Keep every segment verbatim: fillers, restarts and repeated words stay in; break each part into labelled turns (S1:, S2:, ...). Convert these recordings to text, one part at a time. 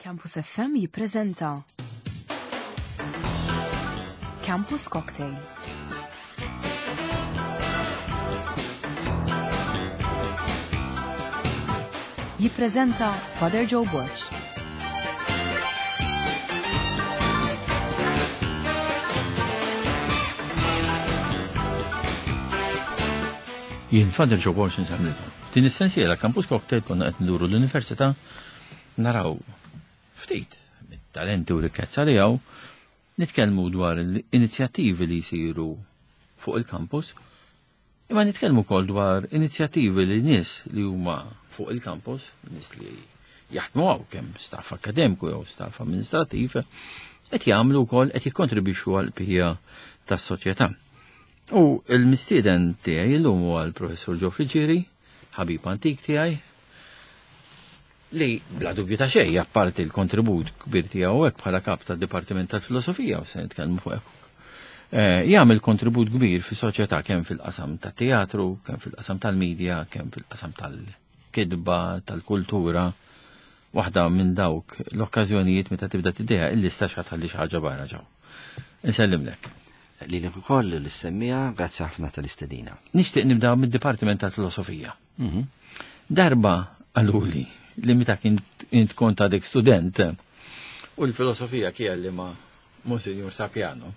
S1: Campus F M jippreżenta Campus Cocktail. Jippreżenta Father Joe Borg.
S2: Jien Father Joe Borg insellmilkom. Din is-sensiela Campus Cocktail konna qed nduru l-università naraw ftit mit-talenti u rikkezza li hawn, nitkellmu dwar l-inizjattivi li jsiru fuq il-campus, imma nitkellmu wkoll dwar inizjattivi li nies li huma fuq il-campus, nies li jaħdmu hawn kemm staff akademiku jew staff amministrativ, qed jagħmlu wkoll, qed jikkontribwixxu għal bqija tas-soċjetà. U l-mistieden tiegħi llum huwa l-Professur Joe Friggieri, ħabib antik tiegħi, li bla dubju ta' xejn, apparti l-kontribut kbir tiegħu hekk bħala kap tad-Dipartiment tal-Filosofija, u se nitkellmu fuq hekk, Eh, jagħmel kontribut kbir fis-soċjetà kemm fil-qasam tat-teatru, kemm fil-qasam tal-medja, kemm fil-qasam tal-kidba, tal-kultura. Waħda minn dawk l-okkażjonijiet meta tibda tiddeja il-lista x'ħa tħalli xi ħaġa barra ġew. Insellimlek.
S3: Lilek ukoll l-semmija, grazzi ħafna tal-istedina.
S2: Nixtieq nibda mid-Dipartiment tal-Filosofija. Mhm. Darba qaluli li meta kint int kont għadek student u l-filosofija kien li ma' Monsignor Sapiano.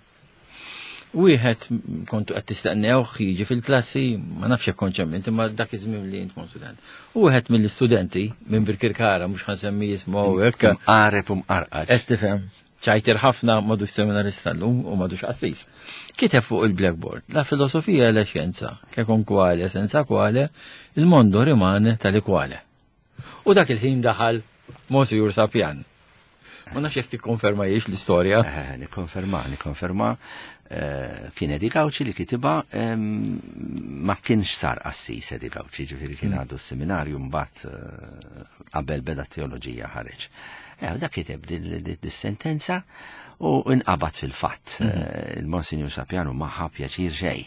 S2: Wieħed kontu qed tistennewh jiġi fil-klassi, ma nafx jekk kontx hemm int, imma dak iż-żmien li int kont student. U wieħed mill-istudenti minn Birkirkara, mhux ħa nsemmi jismu hekk.
S3: Mqareb u mqarqaġ.
S2: Qed tifhem. Ċajter ħafna, m'għadux seminarista llum u m'għadux qassis. Kiteb fuq il-blackboard: "La filosofia è la scienza, che con quale, senza quale, il mondo rimane tale quale." U dak il-ħin daħal Monsignor Sapian. Ma nafx jekk tikkonferma jiex l-istorja.
S3: Eh, nikkonferma, nikkonferma. Eh, kien Eddie Gauci li kitibha, em, ma kienx sar qassis Eddie Gauci, ġifieri kien għadu s-seminarju, mbagħad eh, qabel beda teoloġija ħareġ. Eh, dak kiteb din sentenza u inqabad fil-fatt. Eh, Il-Monsignor Sapiano ma ħa pjaċir xejn,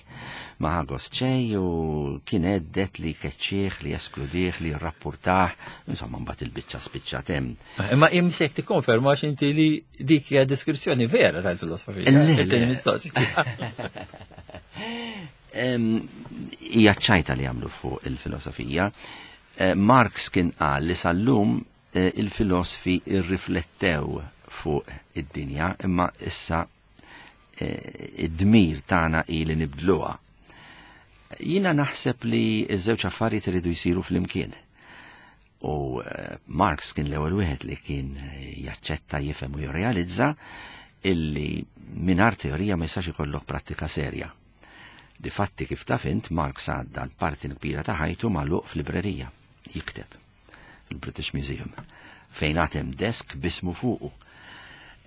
S3: ma ħa gost xejn u kien għedded li jkeċċih, li jeskludih, li jirrappurtah, insomma, mbagħad il-biċċa spiċċat hemm.
S2: Imma jimsek tikkonferma x'inti li dik hija deskrizzjoni vera tal-filosofija.
S3: Le, le.
S2: It-tieni mistoqsija.
S3: Em, Hija ċajta li jagħmlu fuq il-filosofija. Eh, Marx kien qal li sal-lum eh, il-filosofi irriflettew fuq id-dinja, imma issa eh, id-dmir tagħna hi li nibdluha. Jiena naħseb li ż-żewġ affarijiet iridu jsiru flimkien. U eh, Marx kien l-ewwel wieħed li kien eh, jaċċetta, jifhem u jirrealizza illi mingħajr teorija ma jistax ikollok prattika serja. Difatti, kif taf int, Marx għadda l-parti kbira ta' ħajtu magħluq f'librerija jikteb fil-British Museum fejn għad hemm desk b'ismu fuqu.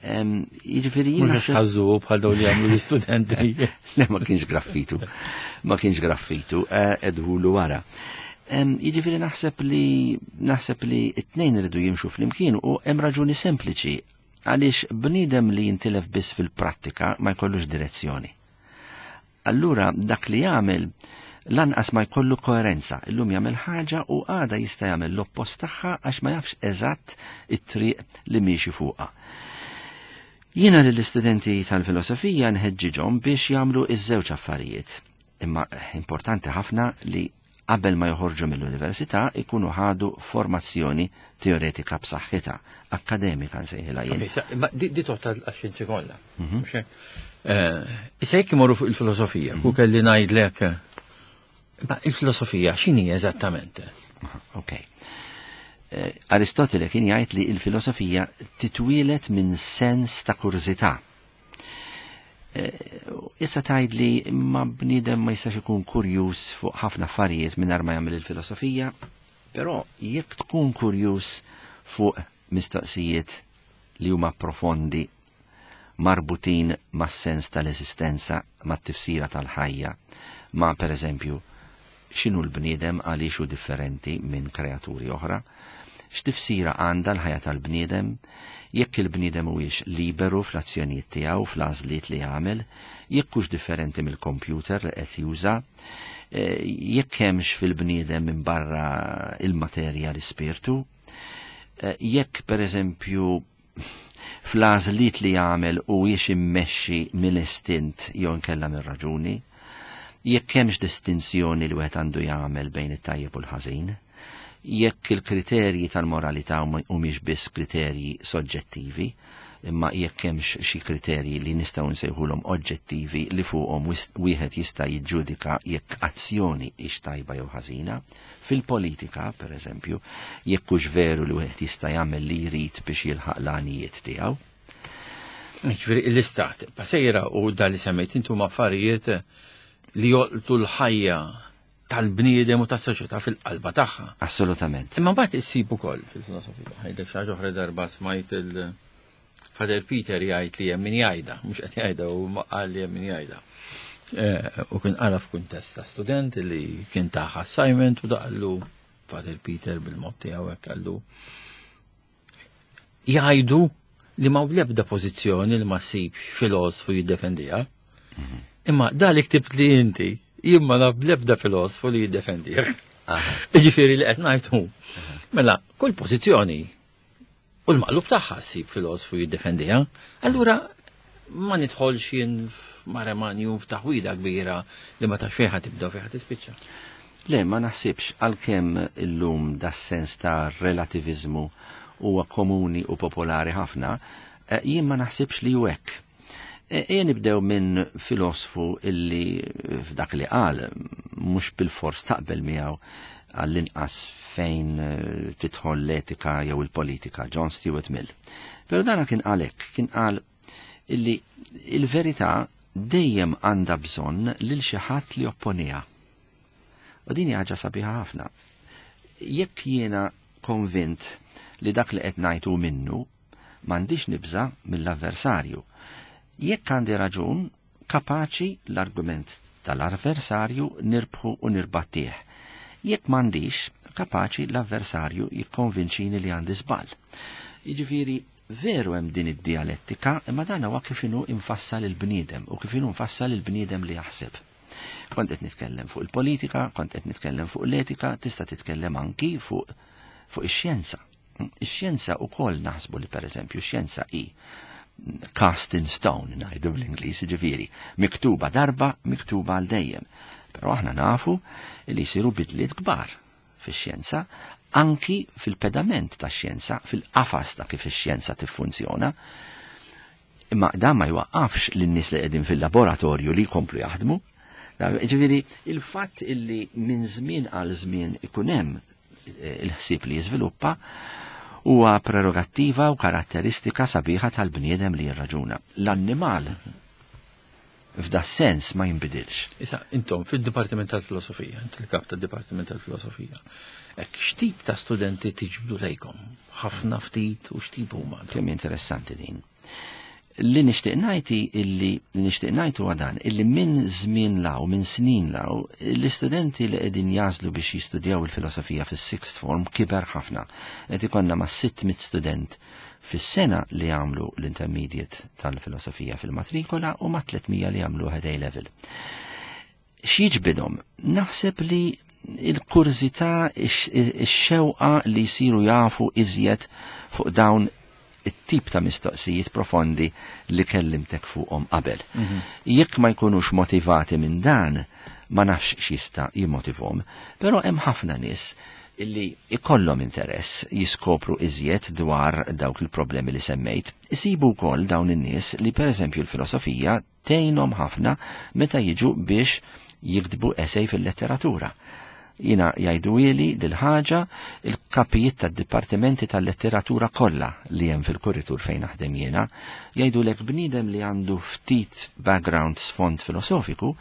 S3: Em, Jiġifieri jien
S2: Mhux
S3: naħseb-
S2: ħażu bħal dawn li jagħmlu l-istudenti.
S3: Le, ma kienx graffitu. Ma kienx graffitu, eh, edhulu wara. Em, Jiġifieri naħseb li naħseb li it-tnejn iridu jimxu flimkien u hemm raġuni sempliċi għaliex bniedem li jintilef biss fil-prattika ma jkollux direzzjoni. Allura dak li jagħmel lanqas ma jkollu koerenza. Illum jagħmel ħaġa u għada jista' jagħmel l-oppost tagħha għax ma jafx eżatt it-triq li miexi fuqha. Jiena lill-istudenti tal-filosofija nħeġġiġhom biex jagħmlu iż-żewġ affarijiet. Imma importanti ħafna li qabel ma joħorġu mill-università ikunu ħadu formazzjoni teoretika b'saħħitha, akkademika nsejħilha jien.
S2: Ok, sa- Ma di di totta għax-xjenzi kollha. Mhux hekk? Eh, Issa jekk imorru fuq il-filosofija, ku kelli ngħidlek, ma il-filosofija x'inhi eżattament?
S3: Ok. Eh, Aristotele kien jgħid li il-filosofija titwielet minn sens ta' kurżità. Eh, Issa tgħid li ma bniedem ma jistax ikun kurjuż fuq ħafna affarijiet mingħajr ma jagħmel il-filosofija, però jekk tkun kurjuż fuq mistoqsijiet li huma profondi, marbutin mas-sens tal-eżistenza, mat-tifsira tal-ħajja, ma per eżempju x'inhu l-bniedem, għaliex hu differenti minn kreaturi oħra, x'tifsira għandha l-ħajja tal-bniedem, jekk il-bniedem huwiex liberu fl-azzjonijiet tiegħu, fl-għażliet li jagħmel, jekk hux differenti mill-kompjuter li qed juża, eh, jekk hemmx fil-bniedem minn barra il-materja l-ispirtu, Jekk per eżempju fl-għażliet li jagħmel u jiex immexxi mill-istint jew inkella mir-raġuni, jekk hemmx distinzjoni li wieħed għandu jagħmel bejn it-tajjeb u l-ħażin, jekk il-kriterji tal-moralità humiex biss kriterji soġġettivi, imma jekk hemmx xi kriterji li nistgħu nsejħulhom oġġettivi li fuqhom wieħed jista' jiġġudika jekk azzjoni hix tajba jew ħażina. Fil-politika, per eżempju, jekk hux veru li wieħed jista' jagħmel li jrid biex jilħaq l-għanijiet tiegħu.
S2: Ġifieri l-istat, pasejra u dan li semmejt intom affarijiet li jolqtu l-ħajja tal-bniedem u tas-soċjetà fil-qalba tagħha.
S3: Assolutament.
S2: Imma mbagħad issib ukoll fil-filosofija. Ħajdek xi ħaġa oħra darba smajt il- Father Peter jgħid li hemm min jgħidha, mhux qed jgħidha u qal li hemm min jgħidha. U kien qala f'kuntest ta' student li kien taħ assignment u daqallu Father Peter bil-mod tiegħu hekk qallu jgħidu li ma l-ebda pożizzjoni li ma ssibx filosfu jiddefendiha. Imma da li ktibt li inti, jien ma naf l-ebda filosfu li jiddefendih. Jiġifieri li qed ngħid. Mela, kull pożizzjoni u l-maqlub tagħha ssib filosfu jiddefendiha, allura ma nidħolx jien f'maremanju f'taħwida kbira li ma tafx fejn tibda u fejn tispiċċa.
S3: Le, ma naħsibx, għalkemm illum da sens ta' relativizmu huwa komuni u popolari ħafna, jien ma naħsibx li hu hekk. Ejja nibdew minn filosfu illi f'dak li qal mhux bil-fors taqbel miegħu għall-inqas fejn tidħol l-etika jew il-politika, John Stuart Mill. Però dana kien għalhekk, kien qal illi il-verità dejjem għandha bżonn lil xi ħadd li opponiha. U din hija ħaġa sabiħa ħafna. Jekk jiena konvint li dak li qed ngħid hu minnu, m'għandix nibża' mill-avversarju. Jekk għandi raġun, kapaċi l-argument tal-avversarju nirbħu u nirbattih. Jekk m'għandix, kapaċi l-avversarju jikkonvinċini li għandi żball. Jiġifieri veru hemm din id-dialettika, imma dan huwa kif inhu infassal il-bniedem u kif inhu nfassal il-bniedem li jaħseb. Kont qed nitkellem fuq il-politika, kont qed nitkellem fuq l-etika, tista' titkellem anki fuq fuq ix-xjenza. Ix-xjenza wkoll naħsbu li pereżempju x-xjenza hi cast in stone, ngħidu bl-Ingliż, jiġifieri miktuba darba, miktuba għal dejjem. Però aħna nafu li jsiru bidliet kbar fix-xjenza, anki fil-pedament tax-xjenza, fil-qafas ta' kif ix-xjenza tiffunzjona. Imma dan ma jwaqqafx lin-nies li qegħdin fil-laboratorju li jkomplu jaħdmu. Ġifieri il-fatt illi minn żmien għal żmien ikun hemm il-ħsieb li jiżviluppa huwa prerogattiva u karatteristika sabiħa tal-bniedem li jirraġuna. L-annimal f'da sens ma jinbidilx.
S2: Issa, intom fil-Dipartiment tal-Filosofija, inti l-kap tad-Dipartiment tal-Filosofija, hekk x'tip ta' studenti tiġbdu lejkom? Ħafna ftit u x'tip huma?
S3: Kemm interessanti din. Li nixtieq ngħid illi li nixtieq ngħid huwa dan, illi minn żmien law, minn snin law, l-istudenti li qegħdin jażlu biex jistudjaw il-filosofija fis-sixth form kiber ħafna. Qed ikollna ma' sitt mitt student fis-sena li jagħmlu l-intermediate tal-filosofija fil-matrikola u ma' tliet mija li jagħmlu head A level. X'jiġbidhom? Naħseb li il-kurżità, ix-xewqa li jsiru jafu iżjed fuq dawn it-tip ta' mistoqsijiet profondi li kellimtek fuqhom qabel. Jekk ma jkunux motivati minn dan, ma nafx x'jista' jimmotivhom, però hemm ħafna nies illi ikollhom interess jiskopru iżjed dwar dawk il-problemi li semmejt. Isibu wkoll dawn in-nies li pereżempju l-filosofija tgħinhom ħafna meta jiġu biex jiktbu essay fil-letteratura. Jina jgħidu dil-ħaġa il-kapijiet tad-dipartimenti tal-letteratura kollha li hemm fil-kuritur fejn naħdem jiena, jgħidulek bniedem li għandu ftit background sfond filosofiku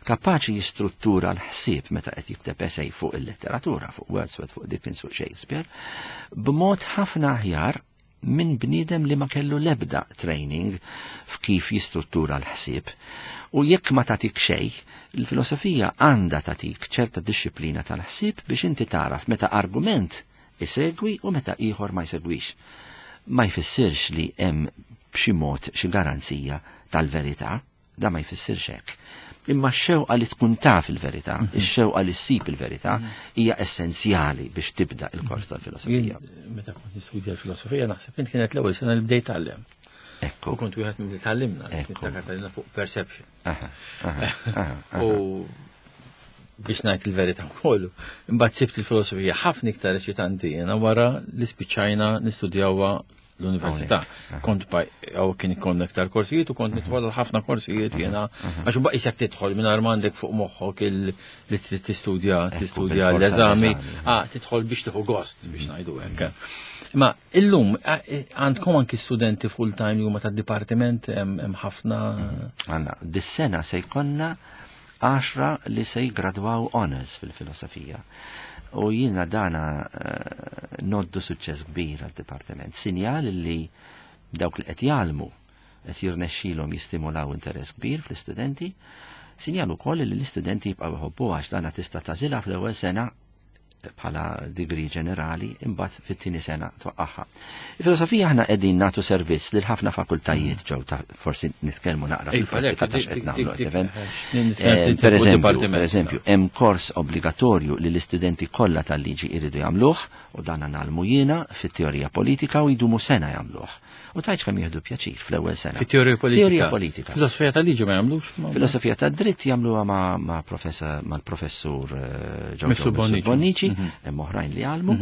S3: kapaċi jistruttura l-ħsieb meta qed jikteb essay fuq il-letteratura, fuq Wordsworth, fuq Dickens, fuq Shakespeare, b'mod ħafna aħjar minn bniedem li ma kellu lebda training f'kif jistruttura l-ħsieb. U jekk ma tatik xej, il-filosofija għandha tatik ċerta disċiplina tal-ħsieb biex inti taraf meta argument isegwi u meta ieħor ma jsegwix. Ma jfissirx li hemm b'xi mod xi garanzija tal-verità, da ma jfissirx hekk. Imma x-xewqa li tkun taf il-verità, ix-xewqa li ssib il-verità hija essenzjali biex tibda il-kors tal-filosofija.
S2: Meta kont nistudja l-filosofija naħseb int kienet l-ewwel sena li bdejt tgħallem.
S3: Ekku.
S2: U kont wieħed minn li tgħallimna, niftakar tgħallimna fuq perception. U biex ngħid il-verità wkoll, imbagħad sibt il-filosofija ħafna iktar eċitanti jiena wara li spiċċajna nistudjawha l-università. Kont għaw kien ikon iktar korsijiet u kont nitwal ħafna korsijiet jena, għax u baqisek tidħol minn għandek fuq moħħok li trid tistudja, tistudja l-eżami, ah, tidħol biex tieħu gost biex ngħidu hekk. Ma illum għandkom anki studenti full time li huma tad-dipartiment hemm ħafna.
S3: Għandna, dis-sena se jkollna għaxra li se jgradwaw honors fil-filosofija. U jiena dana uh, noddu suċċess kbir għal-dipartiment. Sinjal li dawk li qed jgħallmu qed jirnexxilhom jistimulaw interess kbir fl-istudenti, sinjal ukoll li l-istudenti jibqgħu jħobbu għax dana tista' tagħżilha fl-ewwel sena bħala degree ġenerali, imbagħad fit-tieni sena twaqqaħħa. Il-filosofija aħna qegħdin nagħtu servizz lil ħafna fakultajiet ġew ta' forsi nitkellmu naqra fil-prattika ta' x'qed nagħmlu, tifhem? Per eżempju, per eżempju, hemm kors obbligatorju li l-istudenti kollha tal-liġi jridu jagħmluh u dan nagħlmu jiena fit-teorija politika u jdumu sena jagħmluh. U tajċ kemm jieħdu pjaċir fl-ewwel sena.
S2: Fit-teorija politika.
S3: Teorija politika.
S2: Filosofija tal-liġi ma jagħmlux?
S3: Filosofija tad-dritt jagħmluha ma' ma' mal-professur Giorgio Bonnici, hemm oħrajn li jgħallmu,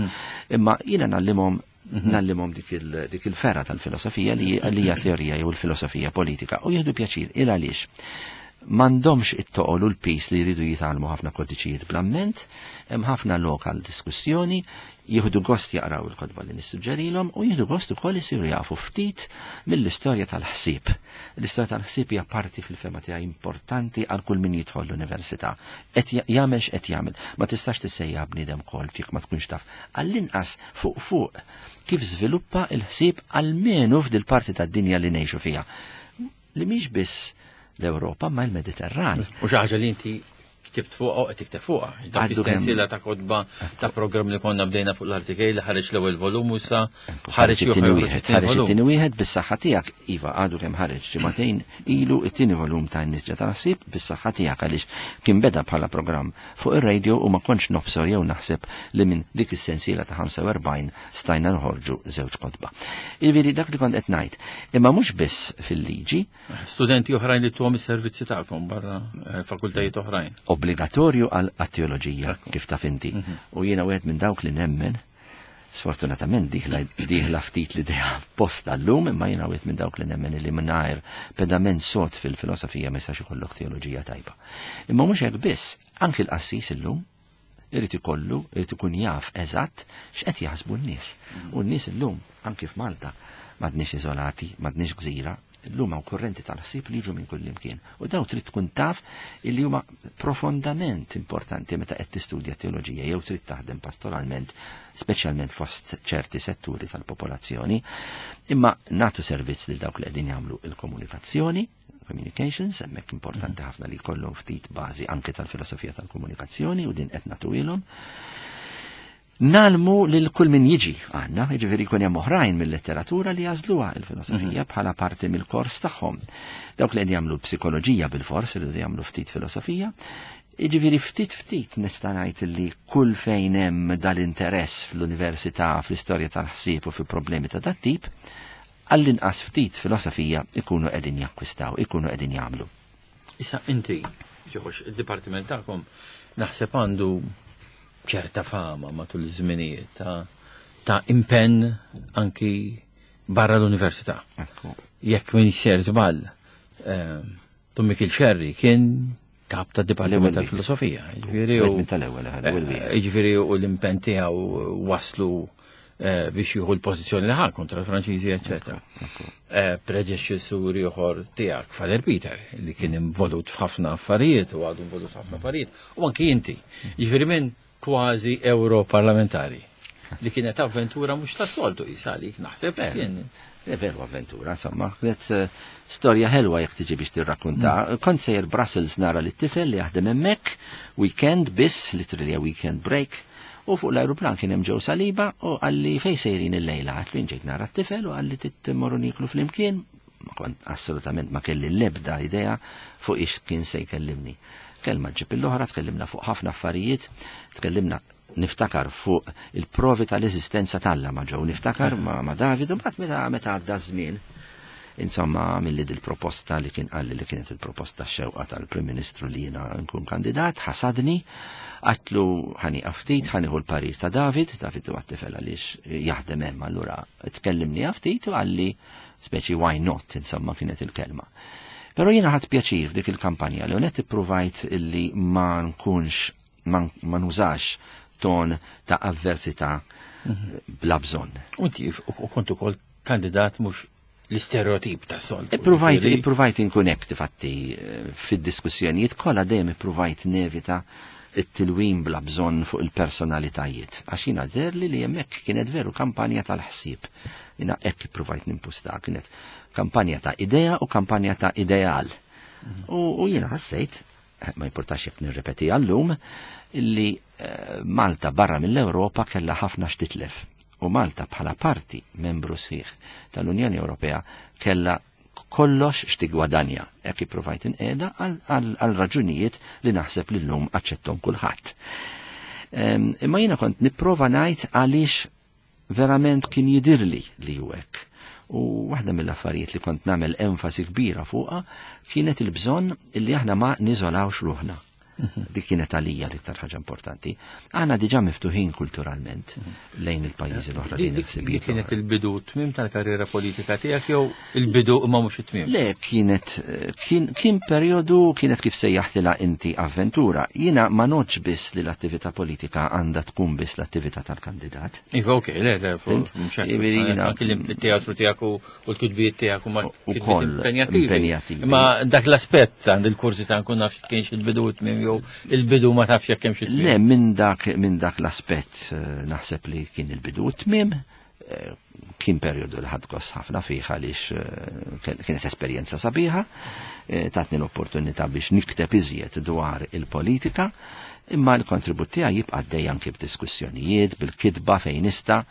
S3: imma jiena nallimhom nallimhom dik il-ferra tal-filosofija li hija teorija jew il-filosofija politika u jieħdu pjaċir il għaliex. M'għandhomx it-toqol u l-pis li jridu jitgħallmu ħafna kodiċijiet bl-amment, hemm ħafna lokal diskussjoni, jieħdu gost jaqraw il-kotba li nissuġġerilhom u jieħdu gost ukoll isiru jafu ftit mill-istorja tal-ħsieb. L-istorja tal-ħsieb hija parti fil-fema tiegħi importanti għal kull min jidħol l-università. Qed jagħmel x'qed jagħmel. Ma tistax tissejjaħ bniedem kolt jekk ma tkunx taf. Għall-inqas fuq fuq kif żviluppa l-ħsieb almenu f'dil parti tad-dinja li ngħixu fiha. Li mhix biss l-Ewropa ma l-Mediterran.
S2: U xi ħaġa li inti ktibt fuqha u qed tikteb fuqha. Dak is-sensiela ta' kotba ta' programm li konna bdejna fuq l-artikej li ħareġ l-ewwel volum u issa ħareġ
S3: it-tieni wieħed. Ħareġ it-tieni wieħed bis-saħħa tiegħek. Iva, għadu kemm ħareġ ġimagħtejn ilu it-tieni volum ta' Nisġa tal-Ħsieb bis-saħħa tiegħek għaliex kien beda bħala programm fuq ir-radio u ma kontx nofsor jew naħseb li minn dik is-sensiela ta' ħamsa u erbgħin stajna nħorġu żewġ kotba. Jiġifieri dak li kont qed ngħid. Imma mhux biss fil-liġi.
S2: Studenti oħrajn li tuhom is-servizzi tagħkom barra fakultajiet oħrajn.
S3: Obbligatorju għal teoloġija kif taf inti. U jiena wieħed minn dawk li nemmen, sfortunatament diħla ftit l-idea posta llum, imma jiena wieħed minn dawk li nemmen li mingħajr pedament sod fil-filosofija ma jistax ikollok teoloġija tajba. Imma mhux hekk biss, anki l-qassis illum irid ikollu, irid ikun jaf eżatt x'qed jaħsbu n-nies. U n-nies illum, anki f'Malta, m'għadniex iżolati, m'għadniex gżira, illum hawn kurrenti tal-ħsieb li jiġu minn kull imkien. U daw trid tkun taf illi huma profondament importanti meta qed tistudja teoloġija jew trid taħdem pastoralment, speċjalment fost ċerti setturi tal-popolazzjoni. Imma nagħtu servizz lil dawk li qegħdin jagħmlu il-komunikazzjoni, communications, hemmhekk importanti ħafna li jkollhom ftit bażi anke tal-filosofija tal-komunikazzjoni u din qed nagħtuilhom. Nalmu lil kull min jiġi għandna, jiġifieri jkun hemm oħrajn mill-letteratura li jażluha il-filosofija bħala parti mill-kors tagħhom. Dawk li qed jagħmlu psikoloġija bil-fors iridu jagħmlu ftit filosofija. Jiġifieri ftit ftit nista' ngħid li kull fejn hemm dal-interess fl-università, fl-istorja tal-ħsieb u fi problemi ta' dat tip, għall-inqas ftit filosofija ikunu qegħdin jakkwistaw, ikunu qegħdin jagħmlu.
S2: Issa inti, ġoħox, id-dipartiment tagħkom naħseb għandu ċerta fama matul iż-żminijiet ta' ta' impenn anki barra l-università. Jekk min ser żball, Dun Mikiel Xerri kien kap ta' dipartiment tal-filosofija. Jiġifieri u l-impenn tiegħu waslu biex jieħu l-pożizzjoni li ħa kontra l-Franċiżi, eċċetera. Predeċessur ieħor tiegħek, Father Peter, li kien involut f'ħafna affarijiet u għadu involut f'ħafna affarijiet, u anki inti. Jiġifieri minn kważi europarlamentari li kienet avventura mhux tas-soltu jisalik naħseb kien.
S3: Veru avventura, insomma, kienet storja ħelwa jekk tiġi biex tirrakkunta. Kont sejjer Brussels nara li t-tifel li jaħdem hemmhekk, weekend biss, literally a weekend break, u fuq l-aeroplan kien hemm ġew Saliba u qalli fejn sejrin illejla, għatlu ġejt nara t-tifel u qalli timmorru niklu flimkien, Ma kont assolutament ma kelli l-ebda idea fuq ix kien se jkellimni. Kelma ġib l-oħra, tkellimna fuq ħafna affarijiet, tkellimna niftakar fuq il-provi tal-eżistenza t'Alla ma' Joe, niftakar ma', ma' David, u mbagħad meta meta għadda żmien, insomma, milli dil-proposta li kien qalli li kienet il-proposta xewqa tal-Prim Ministru li jiena nkun kandidat, ħasadni, għatlu ħani ftit, ħaniħu l-parir ta' David, David huwa tifel għaliex jaħdem hemm, allura tkellimni ftit u qalli speċi why not, insomma kienet il-kelma. Però jiena ħadt pjaċir f'dik il-kampanja li unet ippruvajt illi ma nkunx, ma nużax ton ta' avversità bla bżonn.
S2: U inti u kont ukoll kandidat mhux l-istereotip ta' soltu.
S3: Ippruvajt, ippruvajt inkun hekk tifatti fid-diskussjonijiet kollha dejjem ippruvajt nevita it-tilwim bla bżonn fuq il-personalitajiet. Għax jiena derli li hemmhekk kienet veru kampanja tal-ħsieb. Jiena hekk ippruvajt nimpusta, kienet kampanja ta' idea u kampanja ta' ideal. U jiena ħassejt, ma importax jekk nirrepeti għallum, illi Malta barra mill-Ewropa kellha ħafna x'titlef. U Malta bħala parti membru sħiħ tal-Unjoni Ewropea kellha kollox x'tigwadanja. Hekk ippruvajt inqiegħda għal raġunijiet li naħseb li llum aċċettom kulħadd. Imma jiena kont nipprova ngħid għaliex verament kien jidirli li hu hekk. U waħda mill-affarijiet li kont nagħmel enfasi kbira fuqha kienet il-bżonn illi aħna ma niżolawx ruħna. Dik kienet għalija l-iktar ħaġa importanti. Aħna diġà miftuħin kulturalment lejn il-pajjiżi l-oħra lejn il-ħsibijiet.
S2: Kienet il-bidu tmiem tal-karriera politika tiegħek jew il-bidu imma mhux it-tmiem?
S3: Le, kienet kien, kien perjodu, kienet kif sejjaħtilha inti avventura. Jiena ma noċ biss li l-attività politika għandha tkun biss l-attività tal-kandidat.
S2: Iva, ok, le, le, mhux hekk. Anke il-teatru tiegħek u l-kitbiet tiegħek huma impenjattivi. Imma dak l-aspett għand il-kursi ta' nkun naf kienx il-bidu tmiem jew il-bidu ma tafx jekk hemm xi
S3: tmiem. Le, minn dak minn dak l-aspett naħseb li kien il-bidu tmiem, kien perjodu li ħadd gost ħafna fih għaliex kienet esperjenza sabiħa, tatni l-opportunità biex nikteb iżjed dwar il-politika, imma l-kontribut tiegħi jibqa' għaddej anke b'diskussjonijiet, bil-kitba fejn nista',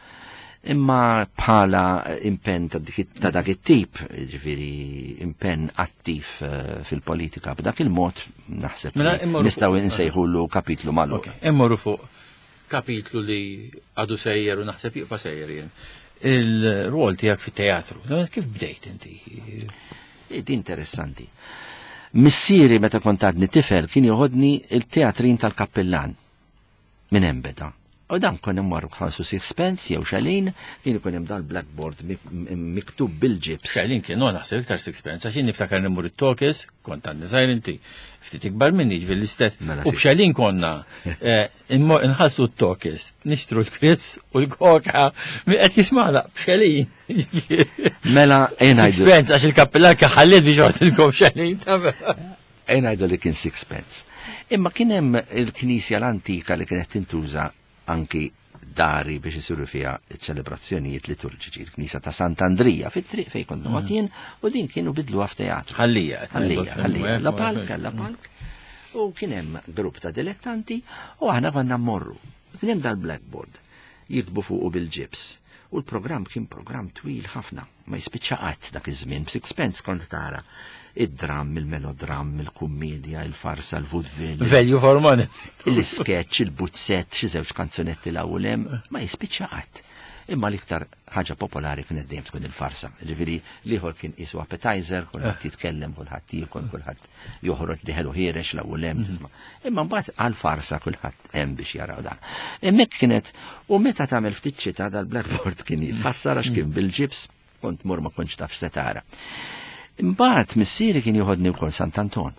S3: imma bħala impenn ta' dak it-tip, ġifieri impenn attiv fil-politika b'dak il-mod naħseb nistgħu nsejħulu kapitlu magħluq.
S2: Immorru fuq kapitlu li għadu sejjer u naħseb jibqa' sejjer jien. Il-rwol tiegħek fit-teatru, kif bdejt inti?
S3: Di interessanti. Missieri meta kont għadni tifel kien joħodni il-teatrin tal-kappellan minn hemm beda. U dan konna mmorru ħansu sixpence jew xalin, kien ikun hemm dal-blackboard miktub bil-ġibs.
S2: Xalin kien no naħseb iktar sixpence, għax jien niftakar nimmur it-tokes, kont għandni żgħir inti, ftit ikbar minni ġifieri l-istess. U b'xalin konna nħallsu t-tokes, nixtru l-krips u l-koka, qed jismagħna b'xalin.
S3: Mela
S2: sixpence għax il-kappellan ħalliet biex joħodilkom xalin.
S3: Ngħidu li kien sixpence. Imma kien hemm il-knisja l-antika li kienet tintuża anki dari biex isiru fiha ċelebrazzjonijiet liturġiċi, il-Knisja ta' Sant'Andrija fit-triq fejn kont noqgħod jien, u din kienu bidluha f'teatru.
S2: Ħallija,
S3: ħallija, ħallija, la palk, la palk. U kien hemm grupp ta' dilettanti u aħna konna mmorru. Kien hemm dal-blackboard jiktbu fuqu bil-ġibs. U l-programm kien programm twil ħafna, ma jispiċċa qatt dak iż-żmien, b'sixpence kont tara id-dram, il-melodram, il-kummedja, il-farsa, il-vaudeville.
S2: Value for money.
S3: Il-sketch, il-buzzett, xi żewġ kanzunetti l-ewwel hemm, ma jispiċċa qatt. Imma l-iktar ħaġa popolari kienet dejjem tkun il-farsa. Ġifieri l-ieħor kien qisu appetizer, kulħadd jitkellem, kulħadd jiekol, kulħadd joħroġ diħel u ħierex l-ewwel hemm, tisma'. Imma mbagħad għall-farsa kulħadd hemm biex jaraw dan. Hemmhekk kienet, u meta tagħmel ftit xita dal-blackboard kien jitħassar għax kien bil-ġibs, kont mur ma kontx taf se tara. Imbagħad missieri kien joħodni wkoll Sant'Anton.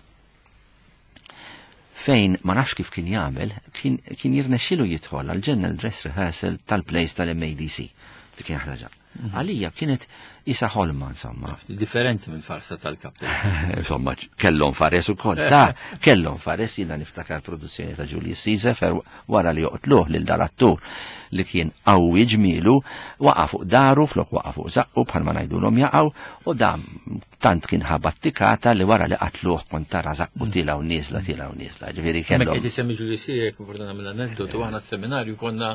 S3: Fejn ma nafx kif kien jagħmel, kien, kien jirnexxilu jidħol għal general dress rehearsal tal-plays tal-M A D C. Dik kien ħaġa. Għalija kienet isa ħolma, insomma.
S2: Differenzi mill-farsa tal-kappell.
S3: Insomma, kellhom fares ukoll. Ta, kellhom fares, jiena niftakar produzzjoni ta' Julius Caesar fer wara li joqtluh lil dal-attur li kien qawwi ġmielu, waqa' fuq daru, flok waqa' fuq żaqqu bħalma ngħidulhom jaqgħu, u dam tant kien ħabattikata li wara li qatluh kont tara żaqqu tilgħu nieżla, tilgħu nieżla. Ġifieri kellhom.
S2: Meta qed isemmi Julius Caesar, jekk importanti nagħmel aneddotu, aħna s-seminarju konna,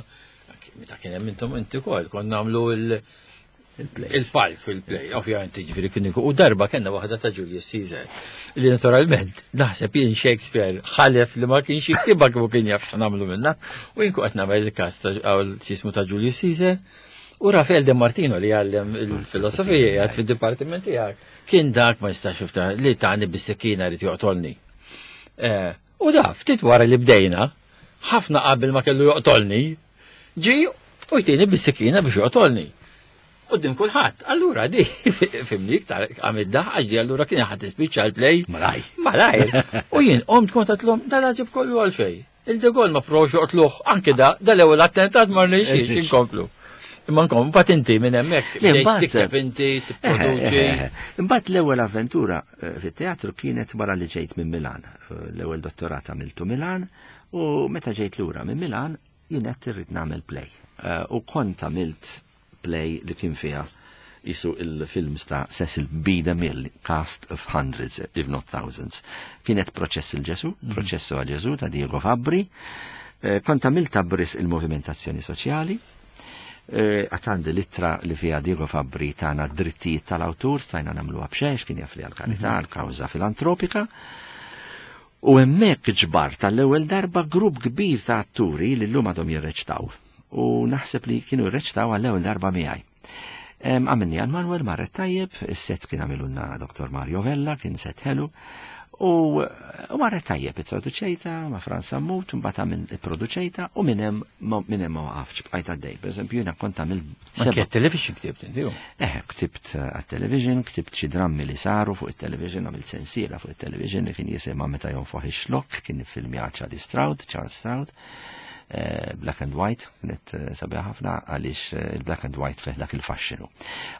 S2: meta kien hemm intom inti wkoll, konna nagħmlu il- Il-palk fil-play, ovvjament ġifieri kien u darba kellna waħda ta' Julius Caesar. Li naturalment naħseb jien Shakespeare ħalef li ma kienx jiktibha kieku kien jaf x'nagħmlu minnha. U jien qed nagħmel il-każ ta' jismu ta' Julius Caesar. U Rafael De Martino li għallem il-filosofija jgħad fil-dipartiment tiegħek kien dak ma jistax jiftaħ li tani bis-sikkina rid joqtolni. U da ftit wara li bdejna, ħafna qabel ma kellu joqtolni, ġi u jtini bis-sikkina biex joqtolni. Qudiem kulħadd. Allura di fimni iktar għamil daħ di allura kien ħadd tispiċċa l-play.
S3: Malaj.
S2: Malaj. U jien qomt kont għedtlhom dal-għaġeb kollu għalfej. Il-De Gaulle ma provx joqtluh anke da dal-ewwel attentat ma rnexxiex inkomplu. Imma nkom mbagħad inti minn hemmhekk tikteb inti tipproduċi.
S3: Imbagħad l-ewwel avventura fit-teatru kienet wara li ġejt minn Milan. L-ewwel dottorat għamiltu Milan u meta ġejt lura minn Milan jien qed irrid nagħmel play. U kont għamilt play li kien fiha isu il-films ta' Cecil B. DeMille, cast of hundreds, if not thousands. Kienet Proċess il-Ġesu, Proċessu għal Ġesu ta' Diego Fabbri. Kont għamilt bris il-movimentazzjoni soċjali. Għatandi l-ittra li fiha Diego Fabbri tana drittijiet tal-awtur, stajna nagħmluha b'xejn, kien jaf li għal-karità, għal-kawża filantropika. U hemmhekk ġbar tal-ewwel darba grupp kbir ta' atturi li llum għadhom jirreċtaw. U naħseb li kienu jirreċtaw għall-ewwel darba miegħi. Għamilni għal Manuel marret tajjeb, is-set kien għamilunna Doktor Mario Vella, kien set ħelu, u marret tajjeb, it-traduċejta ma' Franz Sammut, mbagħad għamil produċejta u minn hemm minn hemm ma waqafx bqajt għaddej. Pereżempju jiena kont għamil
S2: seba'. Anke television ktibt inti?
S3: Eh, ktibt għat-television, ktibt xi drammi li saru fuq it-television, għamilt sensiela fuq it-television li kien jisimha Meta jonfoħ ix-xlokk, kien iffilmjat Charlie Stroud, Charles Stroud. Black and White, kienet sabiħa ħafna għaliex il-Black and White fih dak il-faxxinu.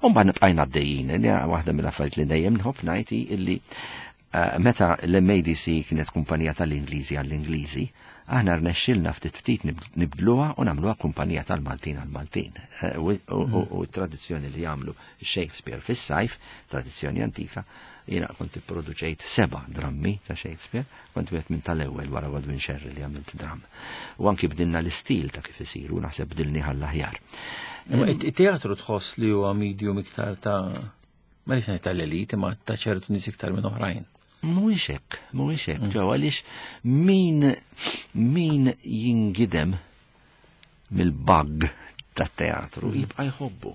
S3: U mbagħad nibqajna għaddejjin, waħda mill-affarijiet li dejjem nħobb ngħid illi meta l-M A D C kienet kumpanija tal-Ingliżi għall-Ingliżi, aħna rnexxilna ftit ftit nibdluha u nagħmluha kumpanija tal-Maltin għall-Maltin. U t-tradizzjoni li jagħmlu Shakespeare fis-sajf, tradizzjoni antika, jiena kont ipproduċejt seba' drammi ta' Shakespeare, kont wieħed minn tal-ewwel wara Godwin Sherry li għamilt dramm. U anki bdilna l-istil ta' kif isiru, naħseb bdilni għall-aħjar.
S2: Imma it-teatru tħoss li huwa medium iktar ta' ma rridx ngħid tal-elit, imma ta' ċertu nies iktar minn oħrajn.
S3: Mhuwiex hekk, mhuwiex hekk, ġew għaliex min min jingidem mill-bug tat-teatru jibqa' jħobbu.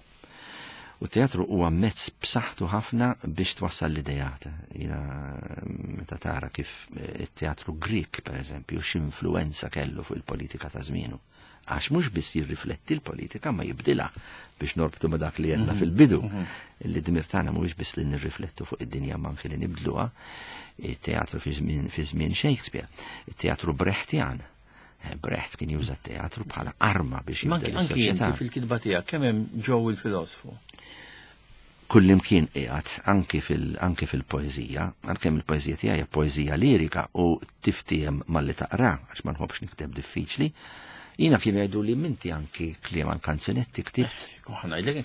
S3: U teatru huwa mezz b'saħħtu ħafna biex twassal l-idejat. Jiena meta tara kif it-teatru Grek, pereżempju, x'influwenza kellu fuq il-politika ta' żmienu. Għax mhux biss jirrifletti l-politika ma jibdilha biex norbtu ma' dak li għedna fil-bidu. Li dmir tagħna mhuwiex biss li nirriflettu fuq id-dinja ma anke li nibdluha. It-teatru fi żmien Shakespeare, it-teatru Brechtjan. Brecht kien juża t-teatru bħala arma biex jibdel is-soċjetà.
S2: Anki fil-kitba tiegħek kemm hemm ġew il-filosfu?
S3: Kullimkien qiegħed anki fil anki fil-poeżija, għalkemm il-poeżija tiegħi hija poeżija lirika u tiftiem malli taqra għax ma nħobbx nikteb diffiċli. Jiena kienu jgħidu li minti anki kliem għal kanzunetti ktibt.
S2: Ngħidlek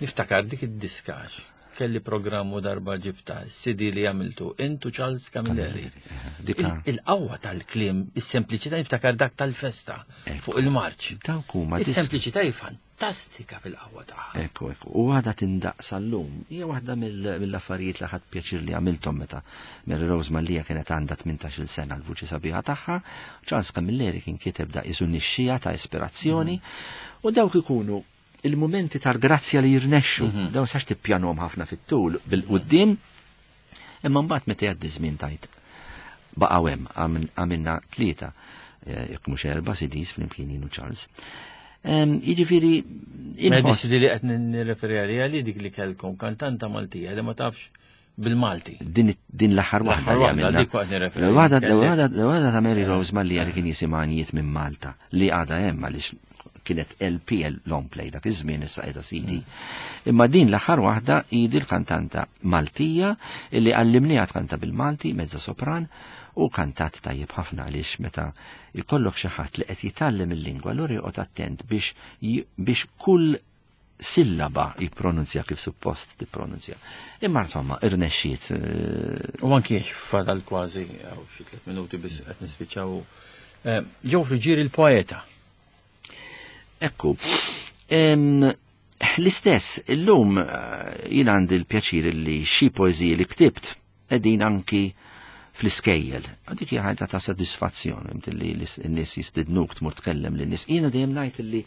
S2: niftakar dik id-diskax. Kelli programmu darba ġibta, C D li għamiltu, intu Charles Camilleri. Il-qawwa tal-kliem, is-sempliċità niftakar dak tal-festa fuq il-marċ. Is-sempliċità hi fantastika fil-qawwa tagħha.
S3: Ekku, ekku. U għadha tindaqsa llum. Hija waħda mill-affarijiet li ħadd pjaċir li għamilthom meta Mary Rose Mallia kienet għandha tmintax-il sena l-vuċi sabiħa tagħha, Charles Camilleri kien kiteb da isu nixxija ta' ispirazzjoni u dawk ikunu il-momenti tal-grazzja li jirnexxu, dawn sax tippjanhom ħafna fit-tul bil-qudiem, imma mbagħad meta jgħaddi żmien tajt baqgħu hemm għamilna tlieta jekk mhux erba' C Ds flimkien jien u Charles. Jiġifieri
S2: inħoss li qed nirreferi għaliha li dik li kellkom kantanta Maltija li ma tafx bil-Malti.
S3: Din din l-aħħar waħda li għamilna. L-waħda ta' Mary Rose Mallia li kien jisimha Għanijiet minn Malta li għadha hemm għaliex kienet L P L long play dak iż-żmien issa qiegħda C D. Imma din l-aħħar waħda hi l-kantanta Maltija illi għallimniha tkanta bil-Malti mezza sopran u kantat tajjeb ħafna għaliex meta jkollok xi ħadd li qed jitgħallem il-lingwa allura joqgħod attent biex biex kull sillaba jippronunzja kif suppost tippronunzja. Imma insomma irnexxiet.
S2: U anki fadal kważi hawn xi tliet minuti biss qed nispiċċaw. Ġew Friggieri il-poeta.
S3: Ekku, L-istess, illum jien għandi l-pjaċir li xi poeżiji li ktibt qegħdin anki fl-iskejjel. Dik hija ħaġa ta' sodisfazzjon, inti li n-nies jistidnuk tmur tkellem lin-nies. Jiena dejjem ngħid li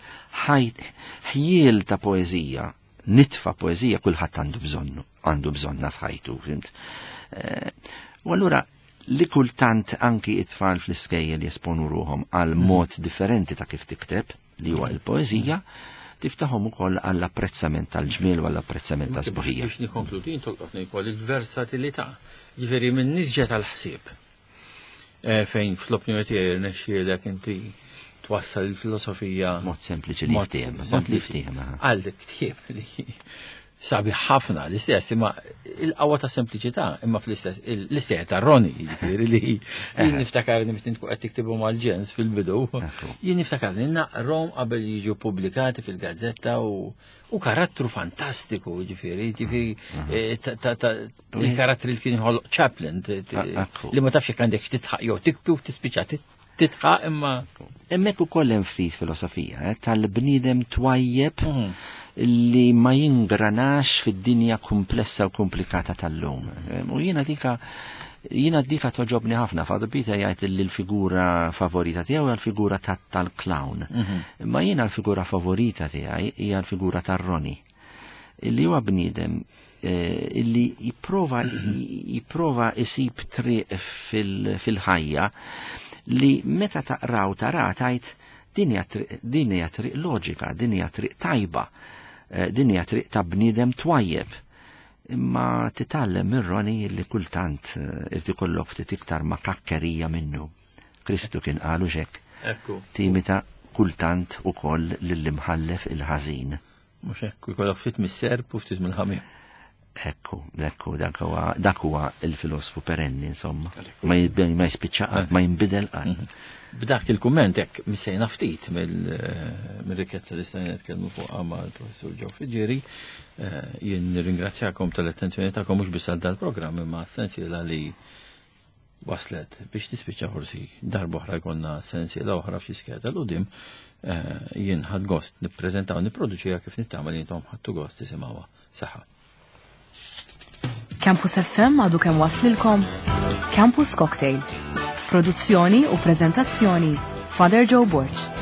S3: ħjiel ta' poeżija, nitfa' poeżija kulħadd għandu bżonnu, għandu bżonna f'ħajtu, fhimt. U allura li kultant anki it-tfal fl-iskejjel jesponu ruhom għal mod differenti ta' kif tikteb, li huwa l-poeżija, tiftaħhom ukoll għall-apprezzament tal-ġmiel u għall-apprezzament ta' sbuħija.
S2: Biex nikkonkludi, tolqotni wkoll il-versatilità. Ġifieri minn nisġa tal-ħsieb. Fejn fl-opinjoni tiegħi rnexxielek inti twassal il-filosofija
S3: mod sempliċi li ftiehem, mod li ftiehem.
S2: Għal ktieb li sabi ħafna l-istess, imma il-qawwa ta' sempliċità, imma fl-istess l-istess ta' Roni, jiġifieri li jien niftakar li meta tkun qed tiktibu mal-ġens fil-bidu, jien niftakar li naqrom qabel jiġu pubblikati fil-gazzetta u karattru fantastiku, jiġifieri, jiġifieri il-karattri li kien jħolloq Chaplin, li ma tafx jekk għandek titħaq jew tikbi u tispiċċa titħaq imma.
S3: Hemmhekk ukoll hemm ftit filosofija tal-bniedem twajjeb li ma jingranax fid-dinja komplessa u komplikata tal-lum. U jiena dika jiena dika toġobni ħafna. Father Peter jgħid li l-figura favorita tiegħu hija l-figura tal-clown. Imma jiena l-figura favorita tiegħi hija l-figura tar-Roni. Illi huwa bniedem illi jipprova jipprova isib triq fil-ħajja li meta taqraw tara tajt din hija triq loġika, din hija triq tajba, din hija triq ta' bniedem twajjeb. Imma titgħallem minn Roni li kultant irid ikollok ftit iktar ma' kakkerija minnu. Kristu kien qalu xek. Timita kultant ukoll lill-imħallef il-ħażin.
S2: Mhux hekk, ikollok ftit mis-serp u ftit mill-ħamiem.
S3: Ekku, ekku, dak huwa il-filosfu perenni, insomma. Ma jispiċċa qatt, ma jinbidel qatt.
S2: B'dak il-kumment hekk missejna ftit mill-rikkezza li stajna nitkellmu fuqha mal-Professur Joe Friggieri. Jien nirringrazzjakom tal-attenzjoni tagħkom mhux biss għal dal-programm imma sensiela li waslet biex tispiċċa forsi darba oħra jkollna sensiela oħra f'xi skeda l-qudiem. Jien ħadd gost nippreżentaw nipproduċiha kif nittama li intom ħadtu gost tisimgħuha. Saħħa.
S1: Campus F M għadu kemm waslilkom Campus Cocktail. Produzzjoni u prezentazzjoni Father Joe Borg.